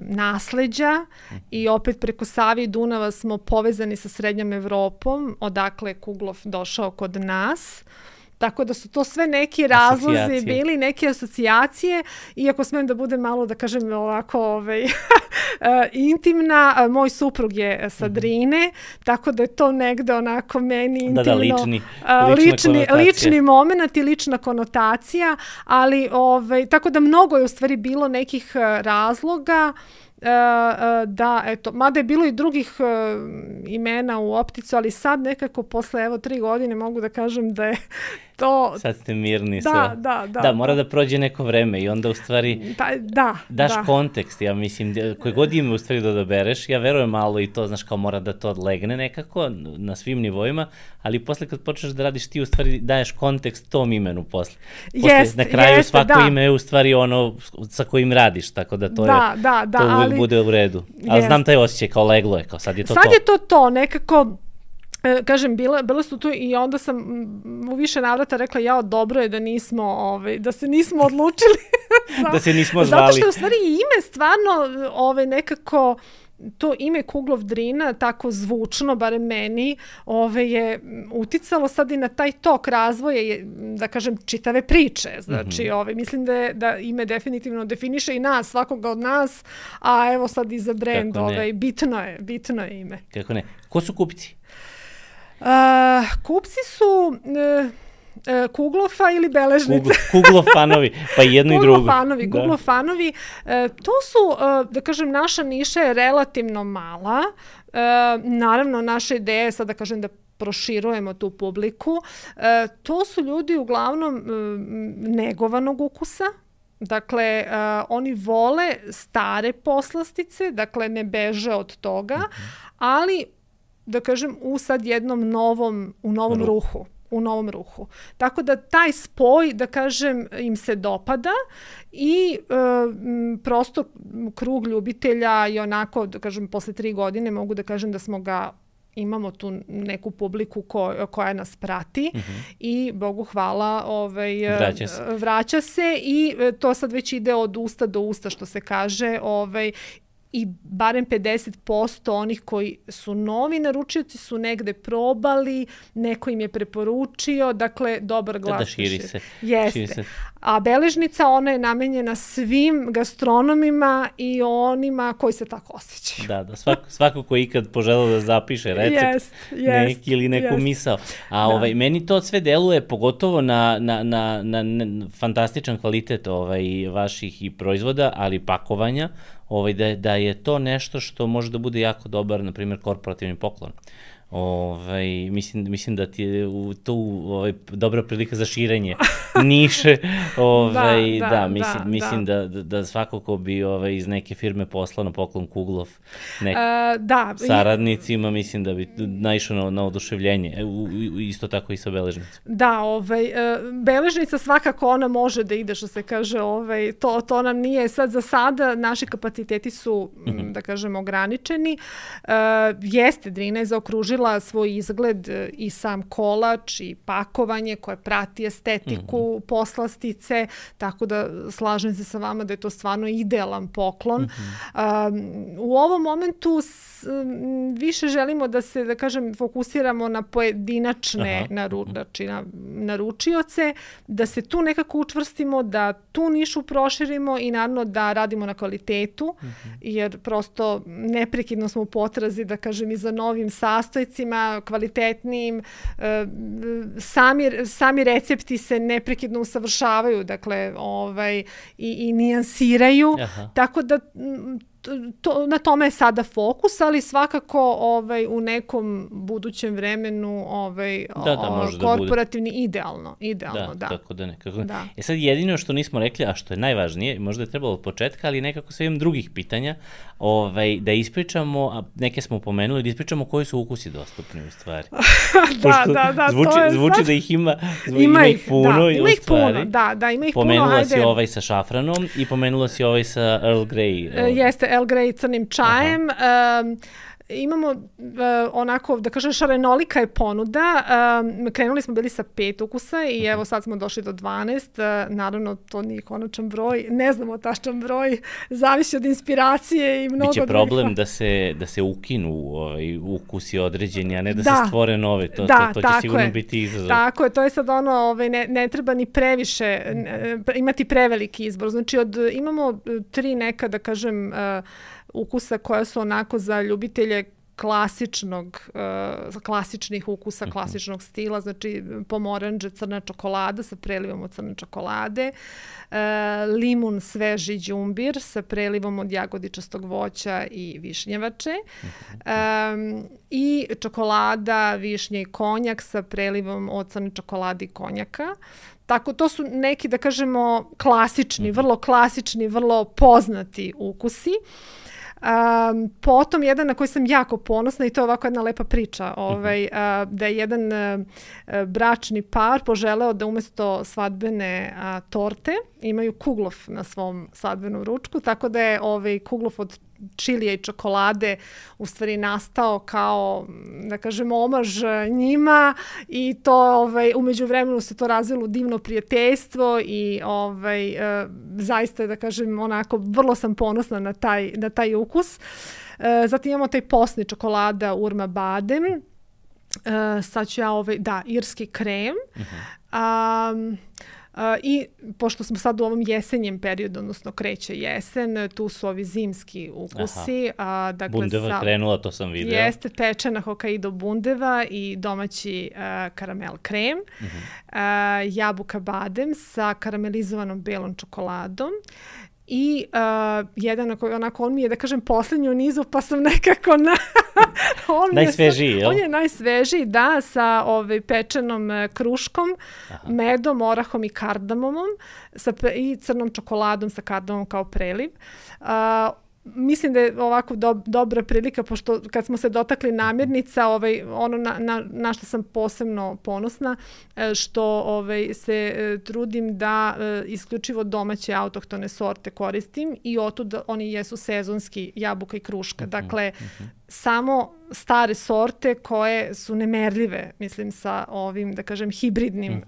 nasleđa, i opet preko Save i Dunava smo povezani sa srednjom Evropom, odakle Kuglov došao kod nas. Tako da su to sve neki razlozi bili, neke asocijacije, iako smem da budem malo, da kažem, ovako intimna. Moj suprug je sa Drine, tako da je to negde onako meni intimno. Lični moment i lična konotacija, ali tako da mnogo je u stvari bilo nekih razloga da, eto, mada je bilo i drugih imena u opticu, ali sad nekako posle 3 godine mogu da kažem da je to... Sad ste mirni sve. Da, mora da prođe neko vreme i onda u stvari daš kontekst, ja mislim, koje god ime u stvari da odabereš, ja verujem malo i to, znaš, kao mora da to odlegne nekako na svim nivoima, ali posle kad počneš da radiš, ti u stvari daješ kontekst tom imenu posle. Na kraju svako ime je u stvari ono sa kojim radiš, tako da to uvijek bude u redu. Ali znam taj osjećaj, kao leglo je, kao sad je to to. Sad je to nekako... Kažem, bile su tu i onda sam u više navrata rekla, dobro je da se nismo odlučili. Da se nismo zvali. Zato što je u stvari ime stvarno nekako, to ime Kuglov Drina, tako zvučno, barem meni, je uticalo sad i na taj tok razvoja, da kažem, čitave priče. Znači, mislim da ime definitivno definiše i nas, svakoga od nas, a evo sad i za brend, bitno je ime. Kako ne? Ko su kupci? Kupci su Kuglofa ili beležnice. Kuglofanovi, pa i jedno i drugo. Kuglofanovi. To su, da kažem, naša niša je relativno mala. Naravno, naša ideja je sad, da kažem, da proširujemo tu publiku. To su ljudi uglavnom negovanog ukusa. Dakle, oni vole stare poslastice, dakle ne beže od toga, ali, da kažem, u sad jednom novom ruhu. u novom ruhu. Tako da taj spoj, da kažem, im se dopada i prosto krug ljubitelja i onako, da kažem, posle 3 godine mogu da kažem da imamo tu neku publiku koja nas prati i Bogu hvala vraća se i to sad već ide od usta do usta, što se kaže, i barem 50% onih koji su novi naručioci su negde probali, neko im je preporučio, dakle, dobar glas. Da širi se. Jeste. A beležnica, ona je namenjena svim gastronomima i onima koji se tako osjećaju. Da, svako ko ikad poželao da zapiše recept neki ili neku misao. A meni to sve deluje, pogotovo na fantastičan kvalitet vaših i proizvoda, ali i pakovanja, da je to nešto što može da bude jako dobar, na primjer, korporativni poklon. Mislim da ti je tu dobra prilika za širenje niše. Mislim da svako ko bi iz neke firme poslao na poklon Kuglov saradnicima, mislim da bi naišao na oduševljenje. Isto tako i sa beležnicom. Da, beležnica svakako ona može da ide, što se kaže, to nam nije sad za sada, naši kapaciteti su, da kažem, ograničeni. Jeste, Drina je zaokružila svoj izgled i sam kolač i pakovanje koje prati estetiku poslastice, tako da slažem se sa vama da je to stvarno idealan poklon. U ovom momentu više želimo da se, da kažem, fokusiramo na pojedinačne naručioce, da se tu nekako učvrstimo, da tu nišu proširimo i naravno da radimo na kvalitetu, jer prosto neprekidno smo u potrazi, da kažem, i za novim sastojcima, kvalitetnijim. Sami recepti se neprekidno usavršavaju, dakle, i nijansiraju, tako da na tome je sada fokus, ali svakako u nekom budućem vremenu korporativni idealno, da. Tako da nekako. Sad jedino što nismo rekli, a što je najvažnije, možda je trebalo od početka, ali nekako sve imam drugih pitanja, da ispričamo, a neke smo pomenuli, da ispričamo koji su ukusi dostupni u stvari. Zvuči da ih ima ih puno. Ima ih puno, da, ima ih puno. Pomenula si sa šafranom i pomenula si sa Earl Grey. Jeste, Earl Grey crnim čajem. Imamo onako, da kažem, šarenolika je ponuda. Krenuli smo bili sa 5 ukusa i evo sad smo došli do 12. Naravno, to nije konačan broj. Ne znamo tačan broj. Zavisi od inspiracije i mnogo drugih. Biće problem da se ukinu ukusi određeni, a ne da se stvore nove. To će sigurno biti izazov. Tako je. To je sad ono, ne treba ni previše imati preveliki izbor. Znači, imamo 3 neka, da kažem, ukusa koja su onako za ljubitelje klasičnih ukusa, klasičnog stila, znači pomoranđe, crna čokolada sa prelivom od crne čokolade, limun sveži đumbir sa prelivom od jagodičastog voća i višnjevače, i čokolada, višnje i konjak sa prelivom od crne čokolade i konjaka. Tako, to su neki, da kažemo, klasični, vrlo poznati ukusi. Potom jedan na koji sam jako ponosna i to je ovako jedna lepa priča, da je jedan bračni par poželeo da umesto svadbene torte imaju Kuglov na svom svadbenom ručku, tako da je Kuglov od čilija i čokolade u stvari nastao kao, da kažem, omaž njima i to u međuvremenu se to razvilo divno prijateljstvo i zaista, da kažem, onako vrlo sam ponosna na taj ukus. Zatim imamo taj posni čokolada Urma Badem. Sad ću irski krem. I pošto smo sad u ovom jesenjem periodu, odnosno kreće jesen, tu su ovi zimski ukusi. Bundeva krenula, to sam vidio. Jeste, pečena Hokkaido bundeva i domaći karamel krem. Jabuka badem sa karamelizovanom belom čokoladom. I jedan onako, on mi je, da kažem, poslednji u nizu, pa sam nekako najsvežiji, jel? On je najsvežiji, da, sa pečenom kruškom, medom, orahom i kardamomom i crnom čokoladom sa kardamom kao preliv. mislim da je ovako dobra prilika, pošto kad smo se dotakli namirnica, ono na što sam posebno ponosna, što se trudim da isključivo domaće autohtone sorte koristim i otud oni jesu sezonski, jabuka i kruška. Dakle, samo stare sorte koje su nemerljive, mislim, sa ovim, da kažem, hibridnim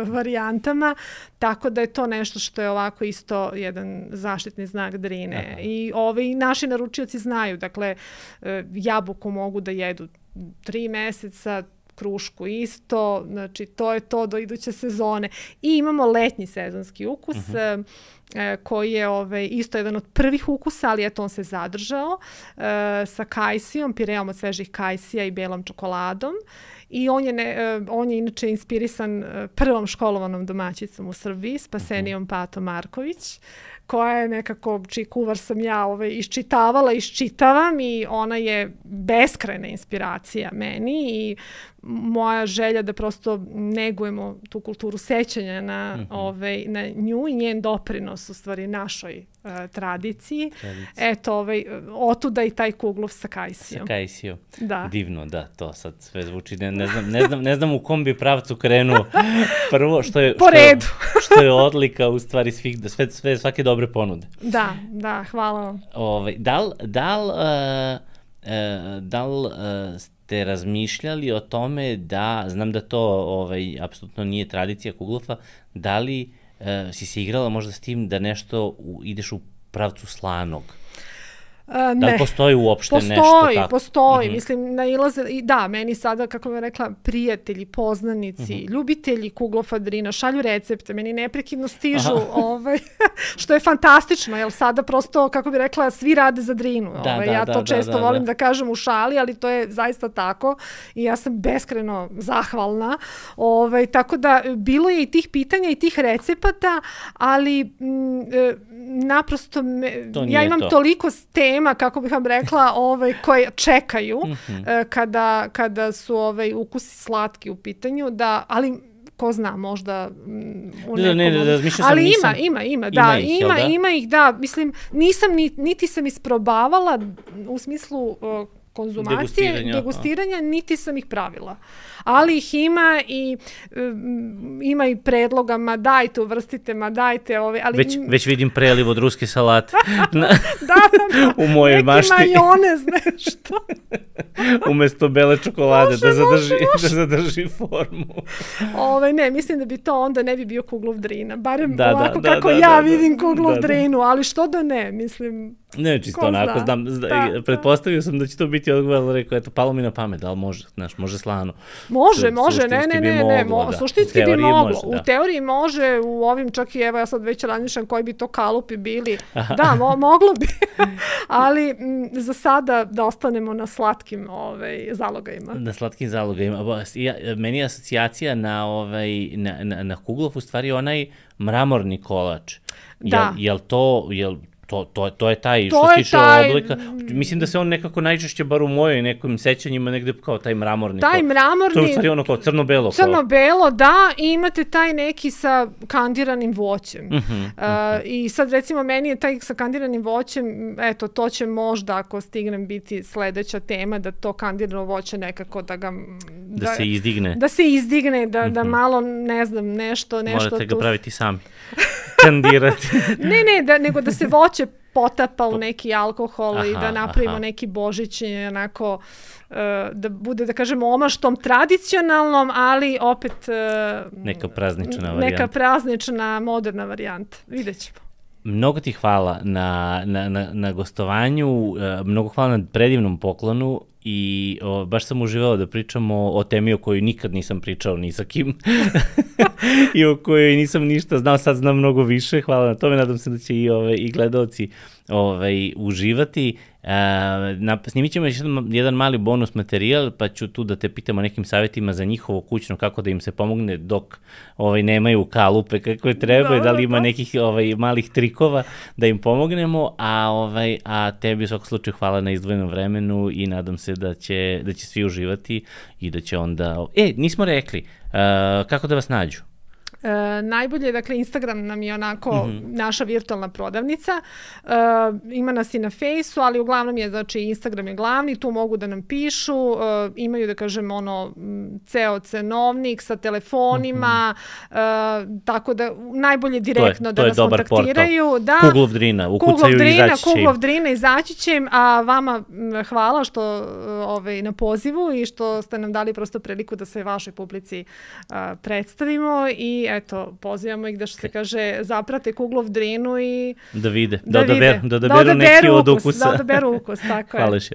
varijantama, tako da je to nešto što je ovako isto jedan zaštitni znak Drine. I naši naručioci znaju, dakle, jabuku mogu da jedu 3 meseca, krušku isto, znači to je to do iduće sezone. I imamo letnji sezonski ukus, koji je isto jedan od prvih ukusa, ali eto on se zadržao, sa kajsijom, pireom od svežih kajsija i belom čokoladom. I on je inače inspirisan prvom školovanom domaćicom u Srbiji, Spasenijom Pato Marković, koja je nekako, čiji kuvar sam ja iščitavam i ona je beskrajna inspiracija meni i moja želja da prosto negujemo tu kulturu sećanja na nju i njen doprinos u stvari našoj tradiciji. Eto, otuda i taj kuglov sa kajsijom. Sa kajsijom. Da. Divno, da, to sad sve zvuči. Ne znam u kom bi pravcu krenuo. Prvo, što je odlika u stvari svake dobre ponude. Da, hvala vam. Da li ste razmišljali o tome da, znam da to apsolutno nije tradicija Kuglofa, da li si se igrala možda s tim da nešto ideš u pravcu slanog? Da li postoji uopšte nešto tako? Postoji. Mislim, nailaze, da, meni sada, kako bih rekla, prijatelji, poznanici, ljubitelji Kuglofa Drina šalju recepte, meni neprekidno stižu, što je fantastično, jer sada prosto, kako bih rekla, svi rade za Drinu. Ja to često volim da kažem u šali, ali to je zaista tako i ja sam beskrajno zahvalna. Tako da, bilo je i tih pitanja i tih recepata, ali naprosto ja imam toliko tema, kako bih vam rekla, koje čekaju kada su ukusi slatki u pitanju, ali ko zna, možda u nekom... Ali ima ih, da. Mislim, niti sam isprobavala u smislu konzumacije, degustiranja, niti sam ih pravila. Ali ih ima i ima i predloga, ma dajte, uvrstite, ma dajte ove. Ali... Već vidim preliv od ruske salate u mojoj mašti. Neki majonez, nešto. Umesto bele čokolade, da zadrži formu. Ne, mislim da bi to onda ne bi bio Kuglov Drina. Barem ovako kako ja vidim Kuglov Drinu, ali što da ne, mislim... Ne, čisto onako, znam, pretpostavio sam da će to biti odgovor, rekao, eto, palo mi na pamet, ali može slano. Može, ne, suštinski bi moglo. U teoriji može, u ovim čak i, evo, ja sad već razmišljam koji bi to kalupi bili. Da, moglo bi, ali za sada da ostanemo na slatkim zalogajima. Na slatkim zalogajima. Meni je asocijacija na Kuglov u stvari onaj mramorni kolač. Da. Jel to je taj, što se tiče oblika. Mislim da se on nekako najčešće, bar u mojoj nekim sećanjima, negde kao taj mramorni. Taj mramorni. To je u stvari ono kao crno-belo. Crno-belo, da, i imate taj neki sa kandiranim voćem. I sad recimo meni je taj sa kandiranim voćem, eto, to će možda, ako stignem, biti sledeća tema, da to kandirano voće nekako da se izdigne. Da se izdigne, da malo, ne znam, nešto... Morate ga praviti sami. Kandirati. nego da se voće potapa u neki alkohol i da napravimo neki božićni, onako, da bude, da kažemo, omaštom tradicionalnom, ali opet... Neka praznična varijanta. Neka praznična, moderna varijanta. Vidjet ćemo. Mnogo ti hvala na gostovanju, mnogo hvala na predivnom poklonu i baš sam uživao da pričamo o temi o kojoj nikad nisam pričao ni sa kim i o kojoj nisam ništa znao, sad znam mnogo više, hvala na tome, nadam se da će i gledaoci uživati. Snimit ćemo jedan mali bonus materijal, pa ću tu da te pitam o nekim savjetima za njihovo kućno, kako da im se pomogne dok nemaju kalupe kakve trebaju, da li ima nekih malih trikova da im pomognemo, a tebi u svakom slučaju hvala na izdvojenom vremenu i nadam se da će svi uživati i da će onda... nismo rekli, kako da vas nađu? Najbolje, dakle, Instagram nam je onako naša virtualna prodavnica. Ima nas i na Fejsu, ali uglavnom je, znači, Instagram je glavni, tu mogu da nam pišu, imaju, da kažem, ceo cenovnik sa telefonima, tako da najbolje direktno da nas kontaktiraju. Da, Kuglov Drina, ukucaju i izaći će im. Kuglov Drina, izaći će im, a vama hvala što na pozivu i što ste nam dali prosto priliku da se vašoj publici predstavimo i eto, pozivamo ih da, što se kaže, zaprate Kuglov Drinu i da vide, da odaberu neki od ukusa. Da odaberu ukus, tako je. Hvala još.